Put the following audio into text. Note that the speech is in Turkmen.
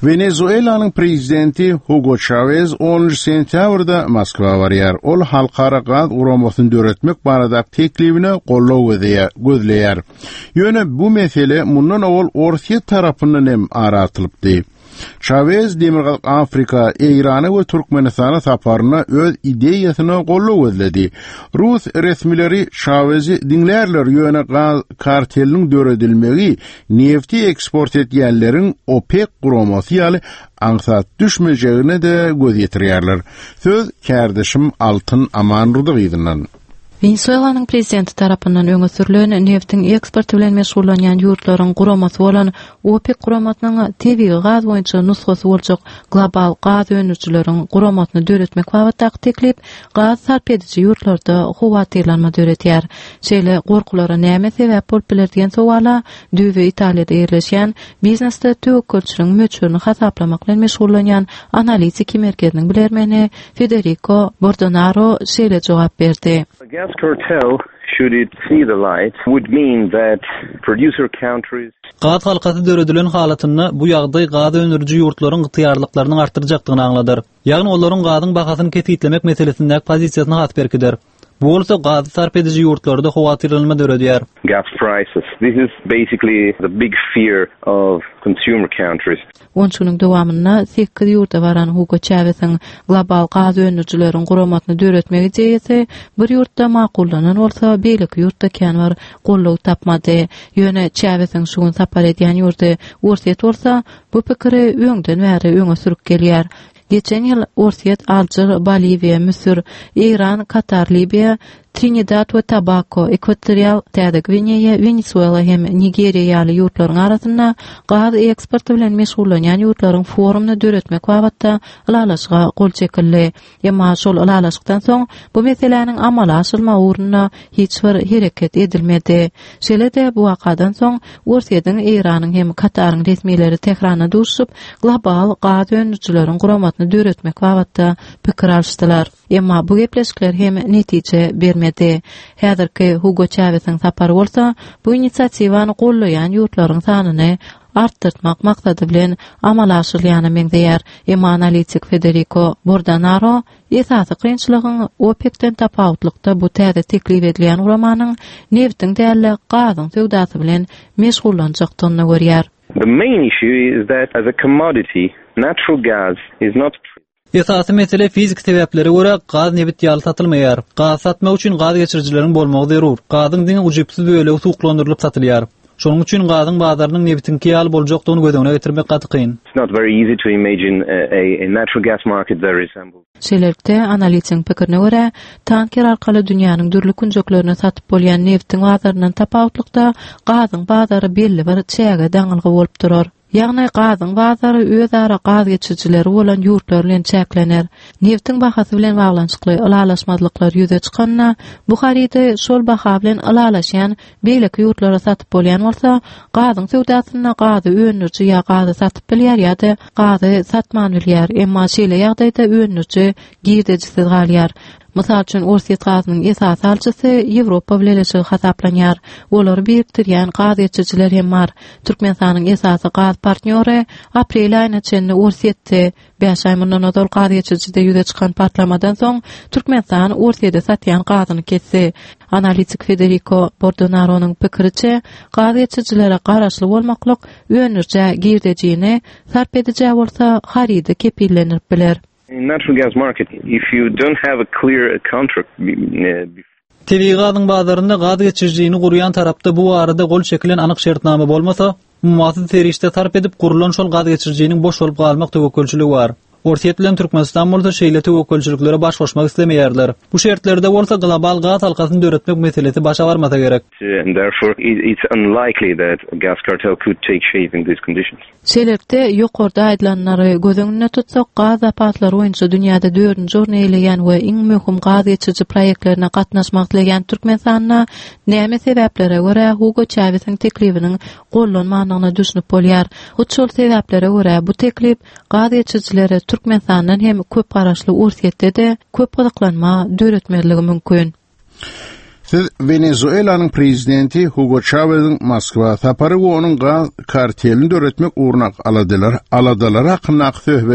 Wenezuelanyň prezidenti Hugo Çawez onunjy sentýabrda Moskwa barýar. Ol Halkara gaz guramasyny döretmek baradaky teklibine goldaw gözleýär. Ýöne bu mesele mundan owal Orsýet tarapyndan hem ara atylypdy. Çawez Demirgazyk Afrika, Eýrana we Türkmenistana saparynda öz ideýasyna goldaw gözledi. Rus resmileri Çawezi diňlärler, ýöne gaz karteliniň döredilmegi Nefti eksport edýänleriň OPEK guramasy ýaly aňsat düşmejegine-de göz ýetirýärler. Söz kärdeşim Altyn Amanurdygyzyndan. Wenesuelanyň prezidenti tarapyndan öňe sürlen neftiň eksporty bilen meşgullanýan ýurtlaryň guramasy bolan OPEK guramasynyň tebigy gaz boýunça nusgasy boljak global gaz öndürijileriň guramasyny döretmek babatdaky teklip gaz sarp ediji ýurtlarda howatyrlanma döredýär. Şeýle gorkulara näme sebäp bolup biler diýen sowala düýbi Italiýada ýerleşýän, biznesde töwekgelçiligiň möçberini hasaplamak bilen meşgullanýan analitiki merkeziniň bilermeni Federiko Bordonaro şeýle jogap berdi. A gas cartel, should it see the light, would mean that producer countries. Gaz halkasy döredilen halatynda bu ýagdaý gaz öndüriji ýurtlaryň ygtyýarlyklarynyň artdyrjakdygyny aňladar. Ýagny olaryň gazyň bahasyny kesgitlemek meselesindäki pozisiýasyny has berkider. Bu bolsa gazy sarp ediji ýurtlarda howatyrlanma döredýär. Gas prices. This is basically the big fear of consumer countries. On üç günüň dowamynda sekiz ýurda baran Hugo Çawesiň global gaz öndürijileriň guramasyny döretmek ideýasy bir ýurtda makullanan bolsa, beýleki ýurtda kän bir goldaw tapmady. Ýöne Çawesiň şu gün sapar edýän ýurdy Orsýet bolsa, bu pikiri öňden bäri öňe sürüp gelýär. Geçen ýyl Orsýet, Alžir, Boliwiýa, Müsür, Eýran, Katar, Libiýa, Trinidad we Tobako, Ekwatorial Täze Gwineýa, Wenesuela hem Nigeriýa ýaly ýurtlaryň arasynda gaz eksporty bilen meşgullanýan ýurtlaryň forumyny döretmek babatda ylalaşyga gol çekildi. Emma şol ylalaşykdan soň bu meseläniň amala aşyrylmagy ugrunda hiç bir hereket edilmedi. Şeýle-de bu wakadan soň Orsýetiň, Eýranyň hem Kataryň resmileri Tähranda duşuşyp, global gaz öndürijileriň guramasyny döretmek babatda pikir alyşdylar. Emma bu gepleşikler hem netije bermedi. Häzirki Hugo Çawesiň sapary bolsa bu inisiatiwany gollaýan ýurtlaryň sanyny artdyrtmak maksady bilen amala aşyrylýana meňzeýär. Emma analitik Federiko Bordanaro esasy kynçylygyň OPEK-den tapawutlykda bu täze teklip edilýän guramanyň nebitiň däl-de, gazyň söwdasy bilen meşgullanjakdygyny görýär. The main issue is that as a commodity, natural gas is not. Esasy mesele fiziki sebäplere görä gaz nebit ýaly satylmaýar. Gaz satmak üçin gaz geçirijileriň bolmagy zerur. Gazyň diňe ujypsyz bölegi suwuklandyrylyp satylýar. Şonuň üçin gazyň bazarynyň nebitiňki ýaly boljakdygyny göz öňüne getirmek gaty kyn. Şeýlelikde, analitigiň pikirine görä, tanker arkaly dünýäniň dürli künjeklerine satyp bolýan nebitiň bazaryndan tapawutlykda, gazyň bazary belli bir çäge daňylgy bolup durar. Ýagny gazyň bazary özara gaz geçirijileri bolan ýurtlar bilen çäklener. Nebtiň bahasy bilen baglanyşykly ylalaşmazlyklar ýüze çykanda, bu harydy şol baha bilen ylalaşýan beýleki ýurtlara satyp bolýan bolsa, gazyň söwdasynda gazy öndüriji ýa gazy satyp bilýär ýa-da gazy satman bilýär. Emma şeýle ýagdaýda öndüriji girdejisiz galýar. Mysal üçin, Orsýet gazynyň esasy alyjysy Ýewropa Bileleşigi hasaplanýar. Olary birikdirýän gaz geçirijiler hem bar. Türkmenistanyň esasy gaz partnýory aprel aýyna çenli Orsýetdi. Bäş aý mundan ozal gaz geçirijide ýüze çykan partlamadan soň, Türkmenistan Orsýede satýan gazyny kesdi. Analitik Federiko Bordonaronyň pikiriçe, gaz geçirijilere garaşly bolmaklyk öndürijä girdejini, sarp edijä bolsa harydy kepillendirip biler. In natural gas market, if you don't have a clear contract before. Tebigy gazyň bazarynda gaz geçirijini gurýan tarapda bu barada gol çekilen anyk şertnama bolmasa, ummasyz serişde sarp edip gurlan şol gaz geçirijiniň boş bolup galmak töwekgelçiligi bar. Orsýet bilen Türkmenistan bolsa şeýle töwekgelçiliklere baş goşmak islemeýärler. Bu şertlerde bolsa global gaz halkasyny döretmek meselesi başa barmasa gerek. And therefore it's unlikely that a gas cartel could take shape in these conditions. Şeýlelikde, ýokarda aýdylanlary göz öňünde tutsak, gaz zapaslary boýunça dünýäde dördünji orny eýeleýän we iň möhüm gaz geçiriji proýektlerine gatnaşmak isleýän Türkmenistanda näme sebäplere görä Hugo Çawesiň teklibiniň gollanmandygyna düşünip bolýar. Hut şol sebäplere görä, bu teklip gaz geçirijilere Türkmenistandan hem köp garaşly Orsýetde-de köp gyzyklanma döretmezligi mümkin. Siz Wenezuelanyň prezidenti Hugo Çaweziň Moskwa sapary we onuň gaz kartelini döretmek ugrundaky aladalar, aladalary hakyndaky söhbet.